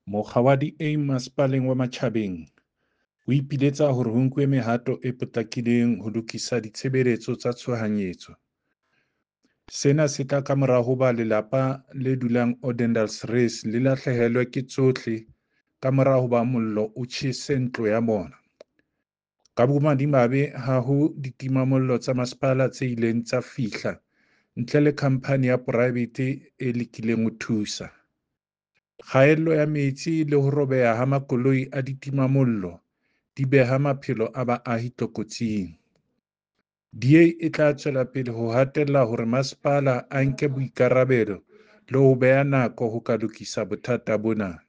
Mokga wa DA Masepaleng wa Matjhabeng o ipiletsa hore ho nkuwe mehato e potlakileng ho lokisa ditshebeletso tsa tshohanyetso. Sena se tla kamora hoba lelapa le dulang Odendaalsrus le lahlehelwe ke tsohle kamora hoba mollo o tjhese ntlo ya bona. Ka bomadimabe ha ho ditimamollo tsa masepala tse ileng tsa fihla ntle le khamphani ya poraebete e lekileng ho thusa. Kgaello ya metsi le ho robeha ha makoloi a ditimamollo di beha maphelo a baahi tlokotsing. DA e tla tswela pele ho hatella hore masepala a nke boikarabelo le ho beha nako ho ka lokisa bothata bona.